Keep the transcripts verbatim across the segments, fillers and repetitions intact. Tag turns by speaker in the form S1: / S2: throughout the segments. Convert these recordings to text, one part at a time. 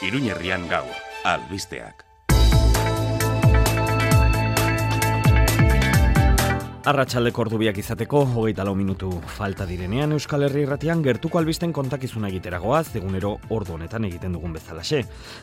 S1: Iruñerrian gaur, albisteak.
S2: Arratsaldeko ordubiak izateko, hogeita lau minutu falta direnean Euskal Herri Irratian gertuko albisten kontakizuna egiteragoaz, egunero ordu honetan egiten dugun bezalaxe.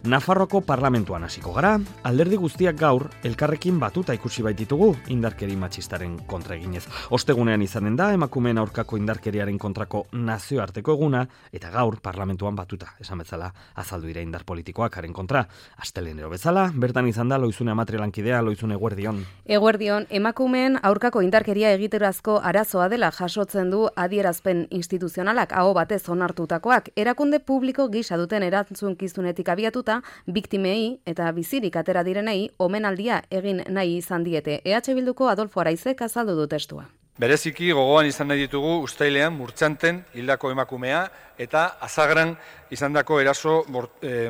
S2: Nafarroako parlamentuan hasiko gara, alderdi guztiak gaur, elkarrekin batuta ikusi baititugu indarkeri matxistaren kontra eginez. Ostegunean izanen da, emakumeen aurkako indarkeriaren kontrako nazioarteko eguna, eta gaur parlamentuan batuta, esan bezala, azaldu dira indar politikoak haren kontra. Astelenero bezala, bertan izan da Loizune Amatri lankidea, Loizune eguerdion.
S3: Eguerdion, emakumeen aurkako indarkeria egiterazko arazoa dela jasotzen du adierazpen instituzionalak aho batez onartutakoak. Erakunde publiko gisa duten erantzunkizunetik abiatuta, biktimei eta bizirik atera direnei omenaldia egin nahi izan diete. E H Bilduko Adolfo Araizek azaldu du testua.
S4: Bereziki gogoan izan nahi ditugu uztailean Murtxanten hildako emakumea eta Azagran izandako eraso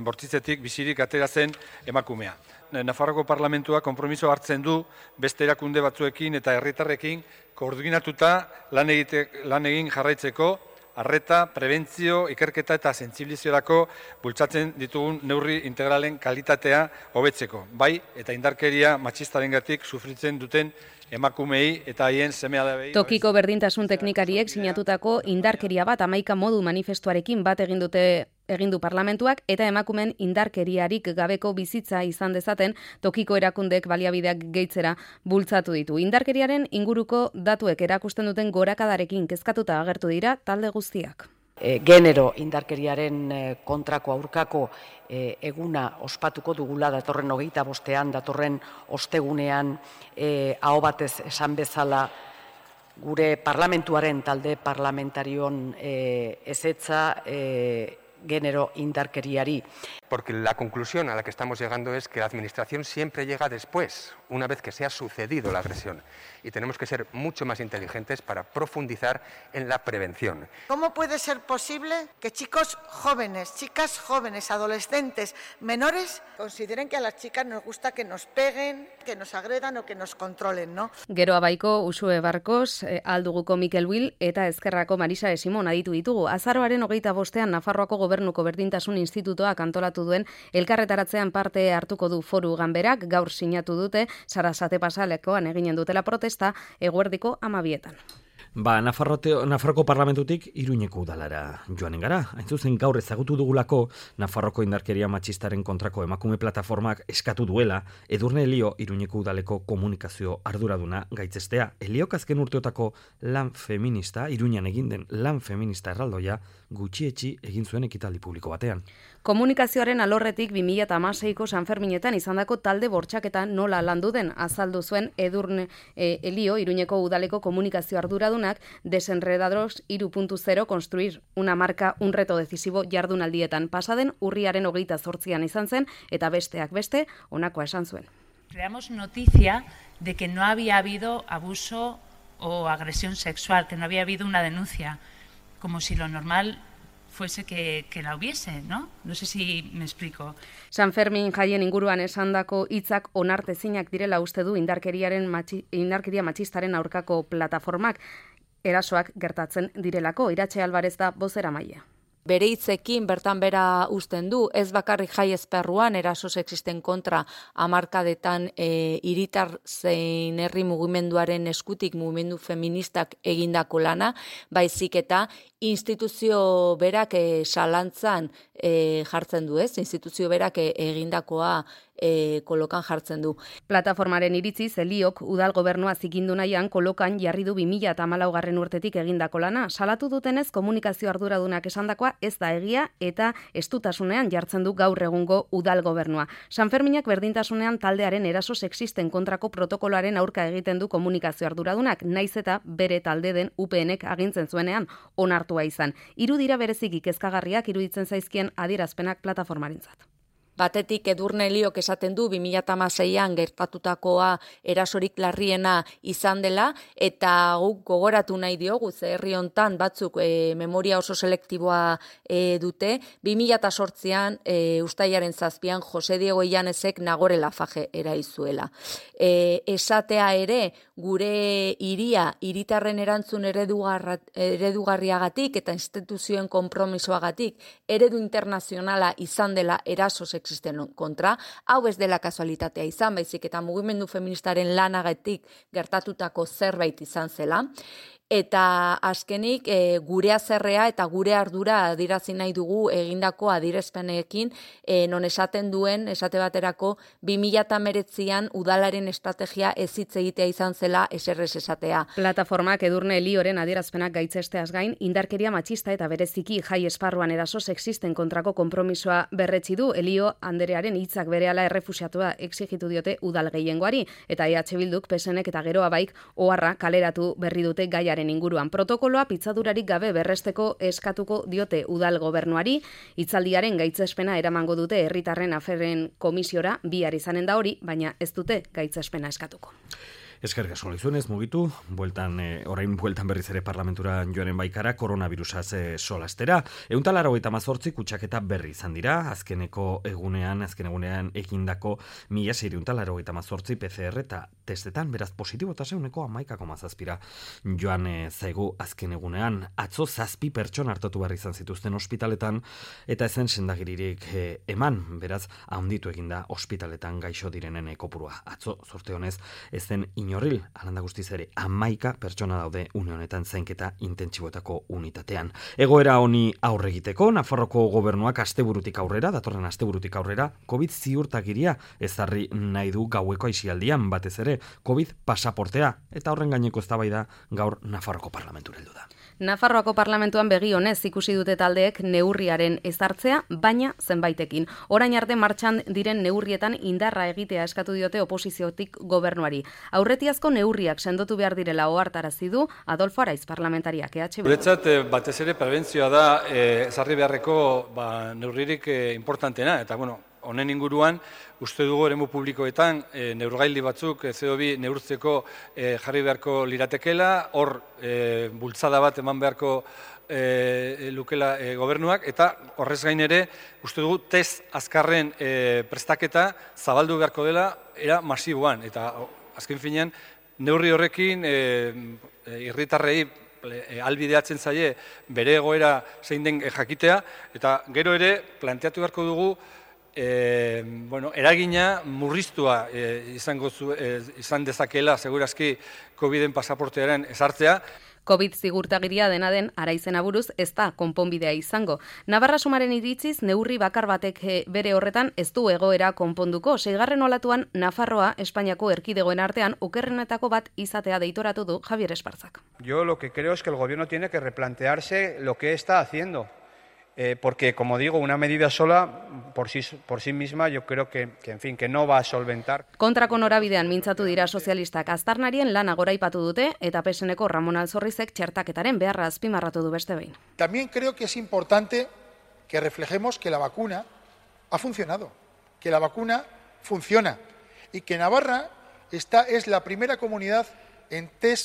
S4: bortitzetik bizirik atera zen emakumea. Nafarroko parlamentua konpromiso hartzen du beste erakunde batzuekin eta herritarrekin koordinatuta lan, egite, lan egin jarraitzeko, arreta, prebentzio, ikerketa eta sentsibiliziorako bultzatzen ditugun neurri integralen kalitatea hobetzeko. Bai, eta indarkeria matxistarengatik sufritzen duten emakumei eta haien seme-alabei.
S3: Tokiko berdintasun teknikariek sinatutako indarkeria bat hamaika modu manifestuarekin bat egin dute egin du parlamentuak eta emakumeen indarkeriarik gabeko bizitza izan dezaten tokiko erakundeek baliabideak gehitzera bultzatu ditu. Indarkeriaren inguruko datuek erakusten duten gorakadarekin kezkatuta agertu dira talde guztiak.
S5: E, genero indarkeriaren e, kontrako aurkako e, eguna ospatuko dugula datorren hogeita bostean, datorren ostegunean e, aho batez esan bezala gure parlamentuaren talde parlamentarion e, ezetza e, género indarkeriari.
S6: Porque la conclusión a la que estamos llegando es que la administración siempre llega después, una vez que se ha sucedido la agresión. Y tenemos que ser mucho más inteligentes para profundizar en la prevención.
S7: ¿Cómo puede ser posible que chicos jóvenes, chicas jóvenes, adolescentes, menores, consideren que a las chicas nos gusta que nos peguen, que nos agredan o que nos controlen, ¿no?
S3: Gero abaiko Usue Barkos, eh, alduguko Mikel Wil eta Ezkerrako Marisa Esimon aditu ditugu. Azaroaren hogeita bostean Nafarroako Gobernuko Berdintasun Institutoak antolatu duen elkarretaratzean parte hartuko du foru ganberak, gaur sinatu dute, Sarasate pasalekoan eginen dutela protesta, eguerdiko amabietan.
S2: Ba, Nafarroko parlamentutik Iruñeko udalara joanen gara. Hain zuzen gaur ezagutu dugulako Nafarroko indarkeria matxistaren kontrako emakume plataformak eskatu duela Edurne Elio Iruñeko udaleko komunikazio arduraduna gaitzestea. Eliok azken urteotako lan feminista, Iruñan egin den lan feminista erraldoia gutxietxi egin zuen ekitaldi publiko batean.
S3: Komunikazioaren alorretik bi mila hamaseiko Sanferminetan izandako talde bortxaketa nola landu den azaldu zuen Edurne e, Elio Iruñeko udaleko komunikazio arduradunak Desenredados hiru puntu zero construir una marca un reto decisivo jardunaldietan pasaden urriaren hogeita zortzian izan zen eta besteak beste honakoa esan zuen.
S8: Creamos noticia de que no había habido abuso o agresión sexual, que no había habido una denuncia, como si lo normal fuese que, que la hubiese, ¿no? No sé si me explico.
S3: San Fermin jaien inguruan esandako hitzak onartezinak direla uste du indarkeriaren matxi, indarkeria matxistaren aurkako plataformak erasoak gertatzen direlako. Iratxe Alvarez da bozeramailea.
S9: Bere hitzekin bertan bera uzten du, ez bakarrik jai esparruan eraso sexisten kontra hamarkadetan e, hiritar zein herri mugimenduaren eskutik mugimendu feministak egindako lana, baizik eta instituzio berak e, salantzan e, jartzen du, ez? Instituzio berak e, egindakoa e, kolokan jartzen du.
S3: Plataformaren iritziz, Eliok udal gobernua zikindu nahian kolokan jarri du bi mila hamalaugarren urtetik egindako lana. Salatu dutenez komunikazio arduradunak esandakoa ez da egia eta estutasunean jartzen du gaur egungo udal gobernua. Sanferminak berdintasunean taldearen eraso sexisten kontrako protokoloaren aurka egiten du komunikazio arduradunak, naiz eta bere talde den U PNek agintzen zuenean onartua izan. Hiru dira bereziki kezkagarriak iruditzen zaizkien adierazpenak plataformarentzat.
S9: Batetik Edurne Eliok esaten du bi mila hamaseian gertatutakoa erasorik larriena izan dela, eta guk gogoratu nahi diogu, ze herri hontan batzuk e, memoria oso selektiboa e, dute, bi mila zortzian e, ustailaren zazpian Jose Diego Illanesek Nagore Lafaje eraizuela. E, esatea ere, gure hiria hiritarren erantzun eredugarriagatik eta instituzioen konpromisoagatik eredu internazionala izan dela eraso sexisten kontra, hau ez dela kasualitatea izan, baizik eta mugimendu feministaren lanagatik gertatutako zerbait izan zela. Eta azkenik e, gure azerrea eta gure ardura adirazi nahi dugu egindako adierazpenekin, e, non esaten duen, esate baterako, bi mila hemeretzian udalaren estrategia ez hitz egitea izan zela eserrez esatea.
S3: Plataformak Edurne Elioren adierazpenak gaitzesteaz gain, indarkeria matxista eta bereziki jai esparruan eraso sexisten kontrako konpromisoa berretsi du. Elio anderearen hitzak berehala errefusiatua exigitu diote udal gehiengoari, eta E H Bilduk, P S Nek eta Geroa Baik oharra kaleratu berri dute gaiaren inguruan. Protokoloa pitzadurarik gabe berresteko eskatuko diote udal gobernuari, hitzaldiaren gaitzespena eramango dute herritarren aferen komisiora, bihar izanen da hori, baina ez dute gaitzespena eskatuko.
S2: Eskerrik asko lizunez, mugitu, bueltan, e, orain bueltan berriz ere parlamentura joanen baikara, koronavirusaz e, solastera. Ehunta laurogeita hamazortzi kutsaketa berri izan dira, azkeneko egunean, azken egunean egindako mila seiehun laurogeita hamazortzi P C R eta testetan, beraz positibotasun ehuneko hamaika koma zazpira joan e, zaigu azken egunean. Atzo zazpi pertsona hartatu behar izan zituzten ospitaletan, eta ezen sendagiririk e, eman, beraz, handitu eginda ospitaletan gaixo direnen kopurua. Atzo, zorte honez, ezen Inorril, alanda guztiz ere, hamaika pertsona daude une honetan zainketa intentsiboetako unitatean. Egoera honi aurre egiteko, Nafarroko gobernuak asteburutik aurrera, datorren asteburutik aurrera, COVID ziurtagiria ezarri nahi du gaueko aisialdian, batez ere, COVID pasaportea, eta horren gaineko eztabaida gaur Nafarroko parlamentura heldu da.
S3: Nafarroako parlamentuan begi honez ikusi dute taldeek neurriaren ezartzea, baina zenbaitekin. Orain arte martxan diren neurrietan indarra egitea eskatu diote oposiziotik gobernuari. Aurretiazko neurriak sendotu behar direla ohartarazi du Adolfo Araiz parlamentariak. E H B.
S4: Guretzat batez ere prebentzioa da ezarri beharreko ba, neurririk eh, importantena, eta bueno, honen inguruan, uste dugu eremu publikoetan e, neurgaildi batzuk e, C O bi neurtzeko e, jarri beharko liratekela, hor e, bultzada bat eman beharko e, lukela e, gobernuak, eta horrez gain ere, uste dugu test azkarren e, prestaketa zabaldu beharko dela era masiboan, eta azken finean, neurri horrekin e, herritarrei e, albideatzen zaie bere egoera zein den jakitea, eta gero ere planteatu beharko dugu E, bueno, eragina murriztua e, izango zu, e, izan dezakela segurazki COVIDen pasaportearen ezartzea.
S3: COVID zigurtagiria dena den Araizena buruz ez da konponbidea izango. Navarra Sumaren iritziz neurri bakar batek bere horretan ez du egoera konponduko. Seigarren olatuan Nafarroa Espainiako erkidegoen artean okerrenetako bat izatea deitoratu du Javier Espartzak.
S10: Yo lo que creo es que el gobierno tiene que replantearse lo que está haciendo. Eh, porque, como digo, una medida sola por sí, por sí misma yo creo que, que, en fin, que no va a solventar.
S3: Kontrako norabidean mintzatu dira sozialistak aztarnarien lana goraipatu dute eta P S Neko Ramon Alzorrizek txertaketaren beharra azpimarratu du beste behin.
S11: También creo que es importante que reflejemos que la vacuna ha funcionado, que la vacuna funciona y que Navarra esta es la primera comunidad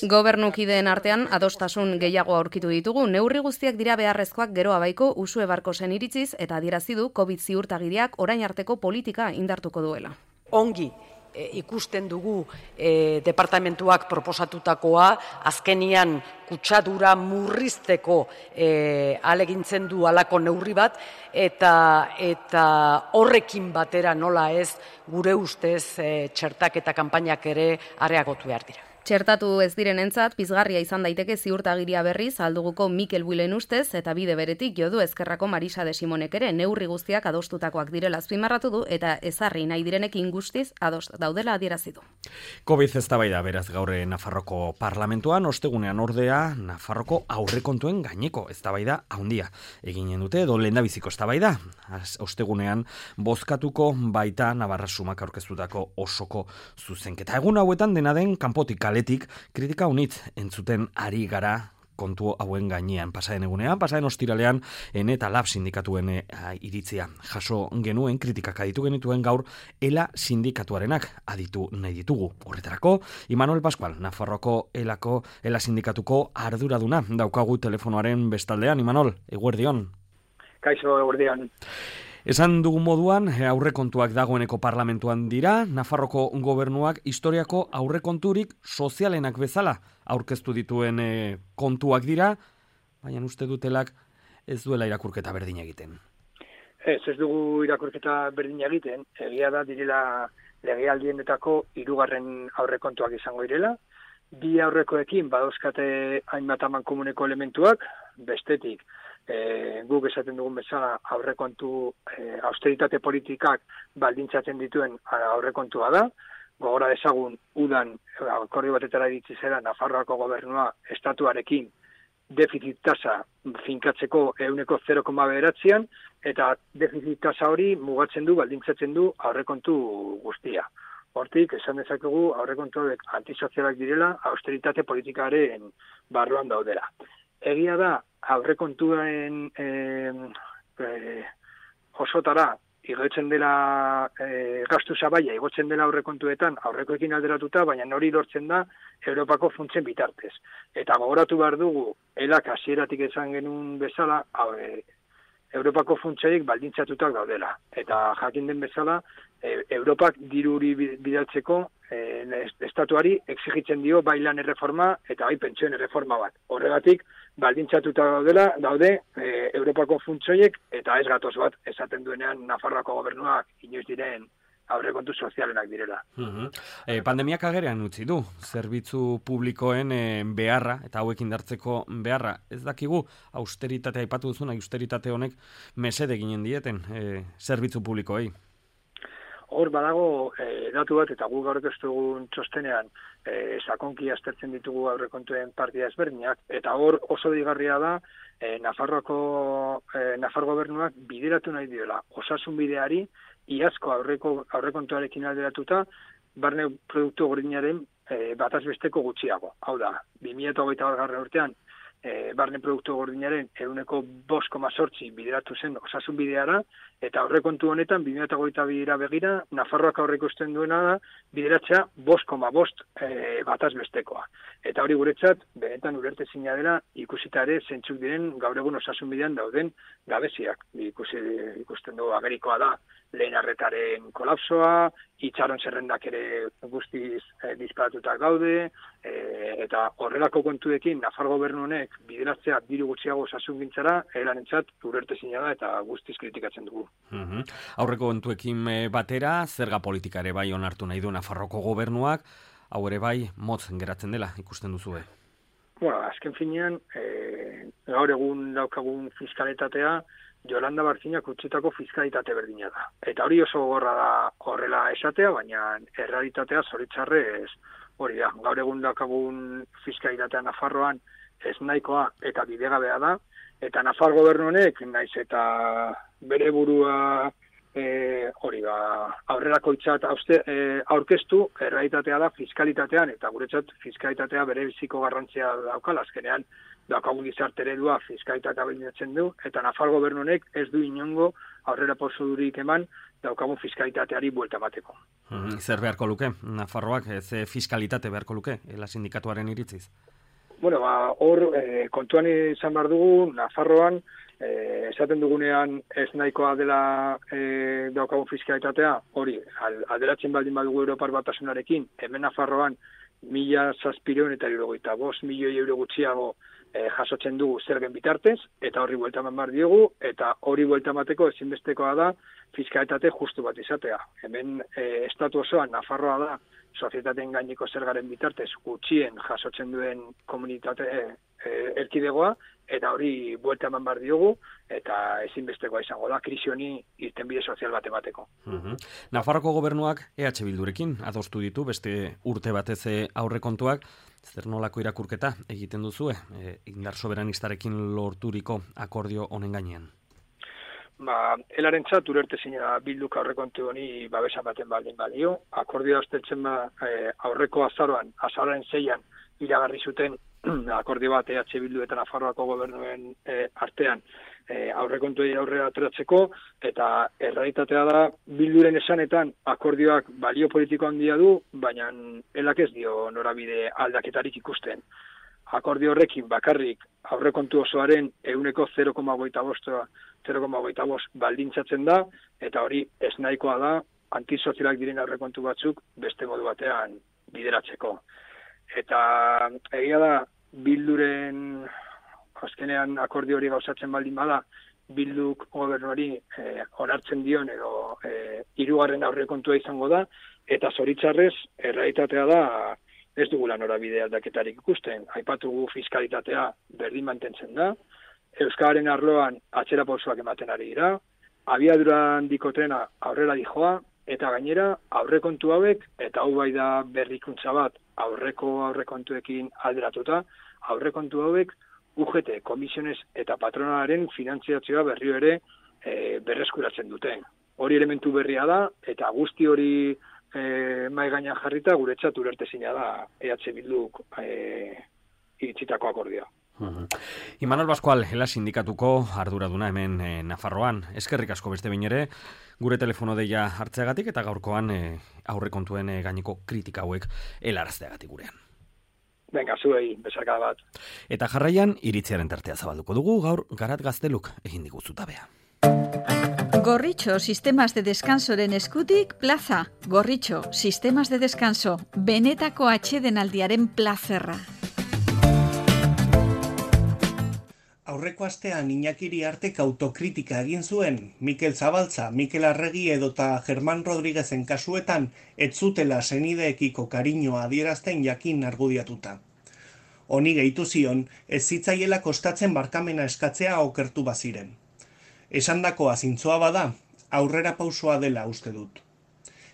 S3: Gobernukideen artean adostasun gehiago aurkitu ditugu, neurri guztiak dira beharrezkoak Geroa Baiko Usue Barkosen iritziz eta adierazi du COVID ziurtagiriak orain arteko politika indartuko duela.
S5: Ongi e, ikusten dugu e, departamentuak proposatutakoa, azkenian kutsadura murrizteko e, alegintzen du halako neurri bat, eta, eta horrekin batera nola ez gure ustez e, txertak eta kanpainak ere areagotu behar dira.
S3: Txertatu ez direnentzat pizgarria izan daiteke ziurtagiria berriz alduguko Mikel Builen ustez eta bide beretik jodu ezkerrako Marisa de Simonek ere neurri guztiak adostutakoak direla azpimarratu du eta ezarri nahi direnekin guztiz adost daudela adierazi du.
S2: COVID eztabaida beraz gaur Nafarroko parlamentuan, ostegunean ordea Nafarroko aurrekontuen gaineko eztabaida handia eginen dute edo lehendabiziko eztabaida. Ostegunean bozkatuko baita Navarra Sumak aurkeztutako osoko zuzenketa. Egun hauetan dena den kanpotik kaletik kritika unitz entzuten ari gara kontu hauen gainean. Pasaden egunean, pasaden ostiralean, ene eta lab sindikatuen e, iritzia jaso genuen, kritikak aditu genituen gaur, ELA sindikatuarenak aditu nahi ditugu. Horretarako, Imanol Pascual, Nafarroako elako, ELA sindikatuko arduraduna, daukagu telefonoaren bestaldean. Imanol, eguerdion.
S12: Kaixo, eguerdion.
S2: Esan dugun moduan, aurrekontuak dagoeneko parlamentuan dira, Nafarroko gobernuak historiako aurrekonturik sozialenak bezala aurkeztu dituen e, kontuak dira, baina uste dutelak ez duela irakurketa berdin egiten.
S12: Ez, ez dugu irakurketa berdin egiten, egia da direla legealdienetako hirugarren aurrekontuak izango direla, bi aurrekoekin badauzkate hainbat amankomuneko elementuak, bestetik, E, guk esaten dugun bezala aurrekontu e, austeritate politikak baldintzatzen dituen aurrekontua da. Gogora dezagun udan akordio batetara iritsi zera Nafarroako gobernua estatuarekin defizit tasa finkatzeko ehuneko zero koma bederatzian eta defizit tasa hori mugatzen du, baldintzatzen du aurrekontu guztia. Hortik, esan dezakegu aurrekontuak antisozialak direla austeritate politikaren barruan daudela. Egia da, aurrekontuen e, e, osotara igotzen dela e, gastu zabaia, igotzen dela aurrekontuetan aurrekoekin alderatuta, baina hori lortzen da Europako funtsen bitartez. Eta gogoratu behar dugu, elak hasieratik esan genuen bezala, e, Europako funtseik baldintzatutak daudela. Eta jakin den bezala, e, Europak diruri bidaltzeko e, estatuari exigitzen dio bai lan erreforma eta bai pentsioen erreforma bat. Horregatik, baldintzatuta daudela, daude e, Europako funtsoiek eta ez gatoz bat esaten duenean Nafarroako gobernuak inoiz diren aurrekontu sozialenak direla.
S2: Uh-huh. E, pandemiak agerean utzi du, zerbitzu publikoen e, beharra, eta hauek indartzeko beharra. Ez dakigu, austeritatea aipatu duzun, austeritate honek mesede ginen dieten e, zerbitzu publikoei.
S12: Hor badago e, datu bat, eta gu gaur dugun txostenean e, sakonki aztertzen ditugu aurrekontuen partida ezberdinak, eta hor oso digarria da e, Nafarroako e, Nafar gobernuak bideratu nahi diola osasun bideari, iazko aurreko aurrekontuarekin alderatuta, barne produktu gordinaren e, bataz besteko gutxiago. Hau da, bi mila hogeita bat urtean, e, barne produktu gordinaren ehuneko bost koma zortzi bideratu zen osasun bideara, eta aurrekontu honetan, bi mila hogeita bira begira, Nafarroak aurreikusten duena da, bideratzea bost koma bost e, bataz bestekoa. Eta hori guretzat, benetan ulertezina dela, ikusita ere zentzuk diren gaur egun osasun bidean dauden gabeziak. Ikusi, ikusten dugu agerikoa da, lehen arretaren kolapsoa, itxaron zerrendak ere guztiz e, disparatutak gaude, e, eta horrelako kontuekin Nafar gobernu honek bideratzea diru gutxiago osasungintzara, elarentzat ulertezina da eta guztiz kritikatzen dugu.
S2: Uh-huh. Aurreko kontuekin batera, zerga politika ere bai onartu nahi du Nafarroko gobernuak, hau ere bai motz geratzen dela ikusten duzue.
S12: Bueno, azken finean, e, gaur egun daukagun fiskalitatea, Jolanda Barzinak utzitako fiskalitate berdina da. Eta hori oso gorra da horrela esatea, baina errealitatea zoritzarrez hori da. Gaur egun daukagun fiskalitatea Nafarroan ez nahikoa eta bidegabea da, eta Nafar gobernu honek naiz eta bere burua e, hori da, aurrerako itzat e, aurkeztu, errealitatea da fiskalitatean, eta guretzat fiskalitatea bere biziko garrantzia daukala, azkenean daukagun gizarte eredua fiskalitatea baldintzatzen du, eta Nafar gobernu honek ez du inongo aurrera pausurik eman daukagun fiskalitateari buelta emateko.
S2: Hmm, zer beharko luke, Nafarroak, ze fiskalitate beharko luke, ELA sindikatuaren iritziz?
S12: Bueno, ba, hor, e, kontuan izan behar dugu, Nafarroan, e, esaten dugunean ez nahikoa dela e, daukagun fiskalitatea, hori, alderatzen baldin badugu Europar Batasunarekin, hemen Nafarroan, mila zazpireun eta hirurogeita bost milioi euro gutxiago e, jasotzen dugu zergen bitartez, eta horri buelta eman behar diogu, eta hori buelta emateko ezinbestekoa da fiskalitate justu bat izatea. Hemen e, estatu osoan Nafarroa da sozietateen gaineko zergaren bitartez gutxien jasotzen duen komunitate e, e, erkidegoa, eta hori buelta eman behar diogu, eta ezinbestekoa izango da, krisi honi irtenbide sozial bat emateko.
S2: Uh-huh. Nafarroko gobernuak E H Bildurekin adostu ditu, beste urte batez aurrekontuak, zer nolako irakurketa egiten duzue, e, indar soberanistarekin lorturiko akordio honen gainean?
S12: Ba, elarentzat ulertezina Bilduk aurrekontu honi babesa baten baldin balio. Akordioa usteltzen ba, e, aurreko azaroan, azaroaren zeian iragarri zuten akordio bat E H Bildu eta Nafarroako gobernuen e, artean e, aurrekontuei aurrera ateratzeko, eta errealitatea da Bilduren esanetan akordioak balio politiko handia du, baina elak ez dio norabide aldaketarik ikusten. Akordio horrekin bakarrik aurrekontu osoaren ehuneko zero koma hogeita bost baldintzatzen da, eta hori ez nahikoa da antisozialak diren aurrekontu batzuk beste modu batean bideratzeko. Eta egia da Bilduren azkenean akordio hori gauzatzen baldin bada, Bilduk gobernuari eh, onartzen dion edo eh, hirugarren aurrekontua izango da, eta zoritzarrez errealitatea da ez dugula norabide aldaketarik ikusten. Aipatugu fiskalitatea berdin mantentzen da, euskararen arloan atzera pausoak ematen ari dira, abiadura handiko trena aurrera dijoa, eta gainera aurrekontu hauek, eta hau bai da berrikuntza bat aurreko aurrekontuekin alderatuta, aurrekontu hauek U G T, komisiones eta patronalaren finantziazioa berrio ere e, berreskuratzen duten. Hori elementu berria da, eta guzti hori e, mai gainean jarrita guretzat ulertezina da E H Bilduk e, iritzitako akordioa.
S2: Uh-huh. Imanol Pascual, Ela sindikatuko arduraduna hemen e, Nafarroan. Eskerrik asko beste behin ere, gure telefono deia hartzeagatik eta gaurkoan e, aurrekontuen e, gaineko kritika hauek helarazteagatik gurean.
S12: Venga, zuei, besarkada bat.
S2: Eta jarraian, iritziaren tartea zabalduko dugu, gaur Garat Gazteluk egin diguzutabea.
S13: Gorritxo Sistemas de Descansoren eskutik plaza. Gorritxo Sistemas de Descanso, benetako atsedenaldiaren plazerra.
S14: Aurreko astean Iñaki Iriartek autokritika egin zuen, Mikel Zabaltza, Mikel Arregi edota Germán Rodríguezen kasuetan ez zutela senideekiko kariñoa adierazten jakin argudiatuta. Honi gehitu zion, ez zitzaiela kostatzen barkamena eskatzea okertu baziren. Esandakoa zintzoa bada, aurrera pausoa dela uste dut.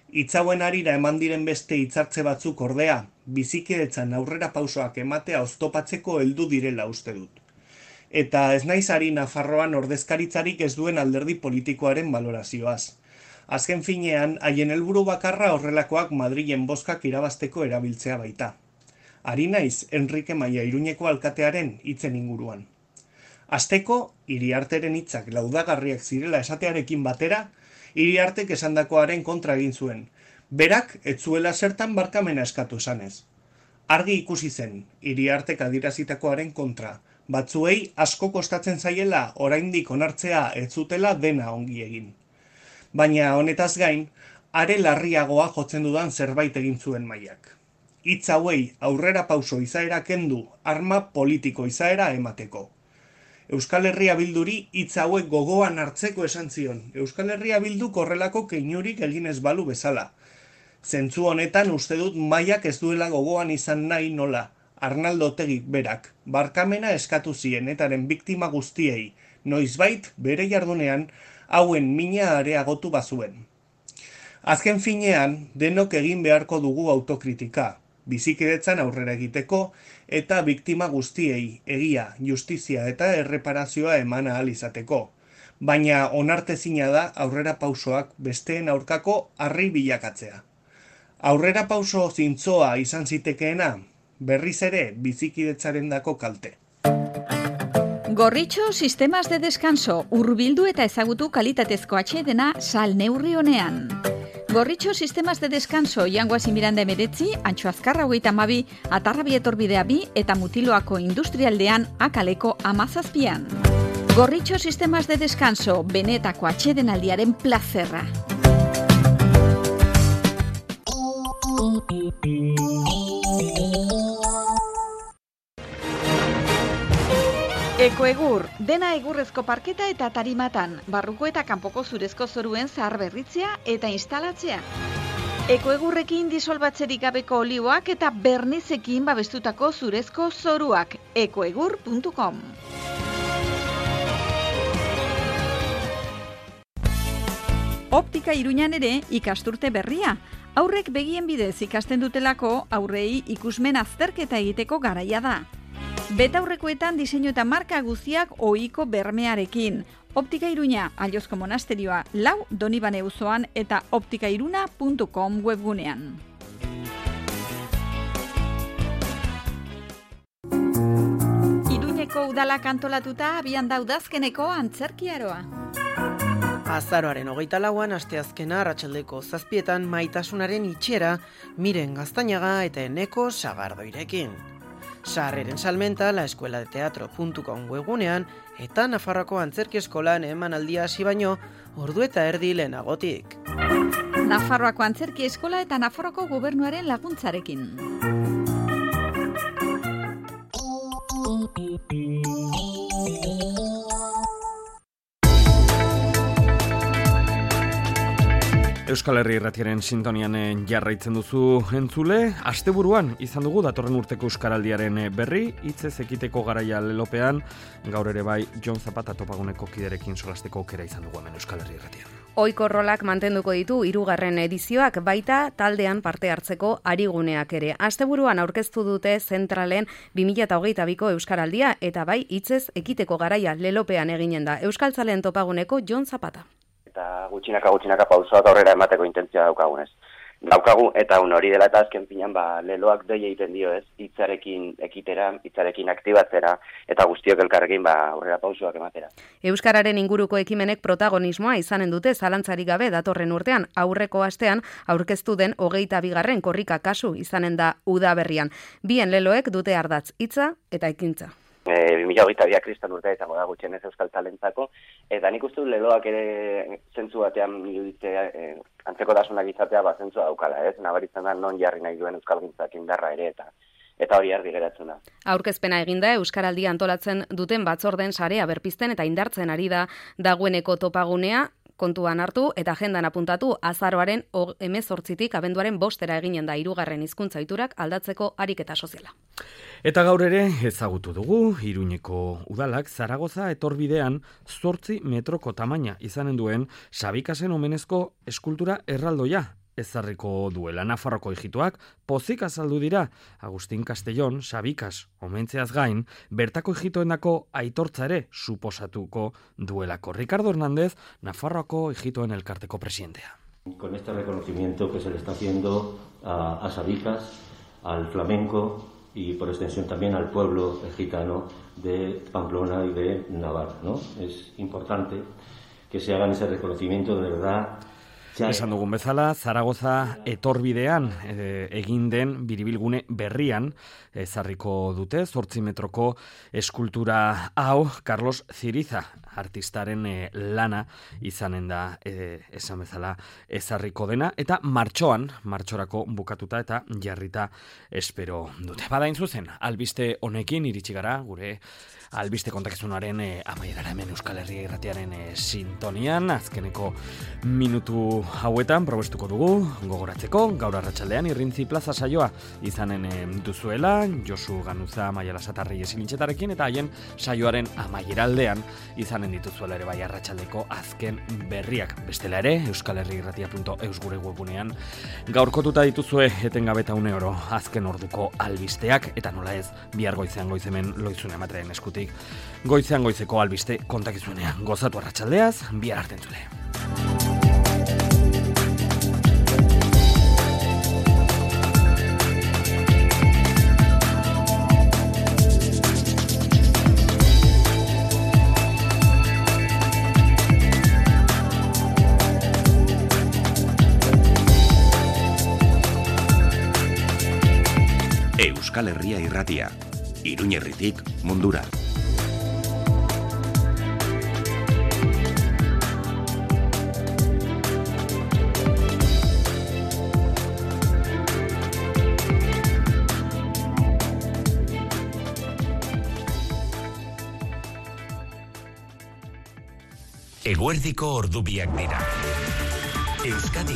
S14: Hitzauen harira eman diren beste hitzartze batzuk ordea, bizikidetzan aurrera pausoak ematea oztopatzeko heldu direla uste dut. Eta ez naiz ari Nafarroan ordezkaritzarik ez duen alderdi politikoaren balorazioaz. Azken finean, haien helburu bakarra horrelakoak Madrilen bozkak irabazteko erabiltzea baita. Ari naiz Enrique Maia Iruñeko alkatearen hitzen inguruan. Hasteko, Iriarteren hitzak laudagarriak zirela esatearekin batera, Iriartek esandakoaren kontra egin zuen. Berak ez zuela zertan barkamena eskatu esanez. Argi ikusi zen, Iriartek adierazitakoaren kontra. Batzuei asko kostatzen zaiela oraindik onartzea ez zutela dena ongi egin. Baina honetaz gain, are larriagoa jotzen dudan zerbait egin zuen Maiak. Hitz hauei aurrera pauso izaera kendu, arma politiko izaera emateko. Euskal Herria Bilduri hitz hauek gogoan hartzeko esan zion. Euskal Herria Bilduk horrelako keinurik egin ez balu bezala. Zentzu honetan uste dut Maiak ez duela gogoan izan nahi nola. Arnaldo Otegik berak, barkamena eskatu zien etaren biktima guztiei, noizbait bere jardunean hauen mina areagotu bazuen. Azken finean, denok egin beharko dugu autokritika, bizikidetzan aurrera egiteko eta biktima guztiei egia, justizia eta erreparazioa eman ahal izateko. Baina onartezina da aurrera pausoak besteen aurkako harri bilakatzea. Aurrera pauso zintzoa izan zitekeena, berriz ere bizikidetzaren dako kalte.
S13: Gorritxo Sistemas de Descanso, hurbildu eta ezagutu kalitatezko atsedena sal neurri honean. Gorritxo Sistemas de Descanso, Jangoasi Miranda emeretzi, Antxo Azkarra hogeita hamabi, Atarrabi etorbidea bi eta Mutiloako industrialdean akaleko amazazpian. Gorritxo Sistemas de Descanso, benetako atsedenaldiaren plazerra. Ekoegur, dena egurrezko parketa eta tarimatan, barruko eta kanpoko zurezko zoruen zahar berritzea eta instalatzea. Ekoegurrekin disolbatzerik gabeko olioak eta bernizekin babestutako zurezko zoruak. ekoegur puntu com. Optika Iruñan ere ikasturte berria. Aurrek begien bidez ikasten dutelako aurrei ikusmen azterketa egiteko garaia da. Betaurrekoetan diseinu eta marka guztiak ohiko bermearekin. Optika Iruña, Aliozko monasterioa, lau Donibane auzoan eta optikairuna puntu com webgunean. Nafarroako udalak antolatuta abian da udazkeneko antzerkiaroa.
S15: Azaroaren hogeita lauan asteazkena arratsaldeko zazpietan Maitasunaren itxera Miren Gaztañaga eta Eneko Sagardoirekin. Sarreren salmenta la escuela de teatro punto com webgunean eta Nafarroako antzerki eskolan emanaldia hasi baino ordu eta erdi lehenagotik.
S13: Nafarroako antzerki eskola eta Nafarroako gobernuaren laguntzarekin.
S2: Euskal Herri Irratiaren sintonian jarraitzen duzu entzule. Asteburuan izan dugu datorren urteko Euskaraldiaren berri, hitzez ekiteko garaia lelopean, gaur ere bai Jon Zapata topaguneko kiderekin solasteko aukera izan dugu hemen Euskal Herri Irratian.
S3: Ohiko rolak mantenduko ditu hirugarren edizioak, baita taldean parte hartzeko ariguneak ere. Asteburuan aurkeztu dute zentralen bi mila hogeita biko Euskaraldia eta bai hitzez ekiteko garaia lelopean eginen da. Euskaltzaleen topaguneko Jon Zapata.
S16: Eta gutxinaka gutxinaka pausoak aurrera emateko intentzioa daukagunez. Daukagu eta un hori dela eta azken finan ba, leloak doi egiten dio ez, hitzarekin ekitera, hitzarekin aktibatzera eta guztiok elkarrekin ba, aurrera pausoak ematera.
S3: Euskararen inguruko ekimenek protagonismoa izanen dute zalantzarik gabe datorren urtean, aurreko astean aurkeztu den hogeita bigarren korrika kasu izanen da udaberrian. Bien leloek dute ardatz hitza eta ekintza.
S16: E, bi mila hogeita biak kristal urtea izango da gutxienez euskal talentzako, eta nik uste leloak ere zentzu batean iruditzea, e, antzekotasunak izatea ba, zentzua daukala, ez? Nabaritzen da non jarri nahi duen euskal gintzak indarra ere, eta eta hori argi geratzen da.
S3: Aurkezpena eginda Euskaraldia antolatzen duten batzorden sarea berpizten eta indartzen ari da dagoeneko topagunea, kontuan hartu eta agendan apuntatu azaroaren hemezortzitik abenduaren bostera eginen da hirugarren hizkuntza ohiturak aldatzeko ariketa soziala.
S2: Eta gaur ere ezagutu dugu Iruñeko udalak Zaragoza etorbidean zortzi metroko tamaina izanen duen Sabikasen omenezko eskultura erraldoia ezarriko duela. Nafarroko ijitoak pozik azaldu dira. Agustin Castellón, Sabikas omentzeaz gain, bertako ijitoendako aitortza ere suposatuko duelako. Ricardo Hernández, Nafarroako ijitoen elkarteko presidentea.
S17: Con este reconocimiento que se le está haciendo a, a Sabicas, al flamenco y por extensión también al pueblo gitano de Pamplona y de Navarra, ¿no? Es importante que se hagan ese reconocimiento de verdad.
S2: Esan dugun bezala, Zaragoza etorbidean e, egin den biribilgune berrian ezarriko dute, zortzi metroko eskultura hau Carlos Ziriza artistaren e, lana izanen da e, esan bezala ezarriko dena, eta martxoan, martxorako bukatuta eta jarrita espero dute. Badain zuzen, albiste honekin iritsi gara, gure albiste kontakizunaren e, amaierara hemen Euskal Herria Irratiaren e, sintonian, azkeneko minutu hauetan probestuko dugu gogoratzeko, gaur arratsaldean Irrintzi Plaza saioa izanen e, duzuela, Josu Ganuza, Maiala Satarri esilintxetarekin, eta haien saioaren amaieraldean izanen dituzuela ere bai arratsaldeko azken berriak. Bestela ere, euskal herri irratia punto eus gure webunean gaurkotuta dituzue etengabe eta une oro azken orduko albisteak, eta nola ez, bihar goizean goizemen loizune ematearen eskutik goizean goizeko albiste kontakizunean. Gozatu arratsaldeaz, bihar arte entzule.
S1: Euskal Herria Irratia, Iruñerritik mundura. Eguerdiko ordubiak dira. Euskadi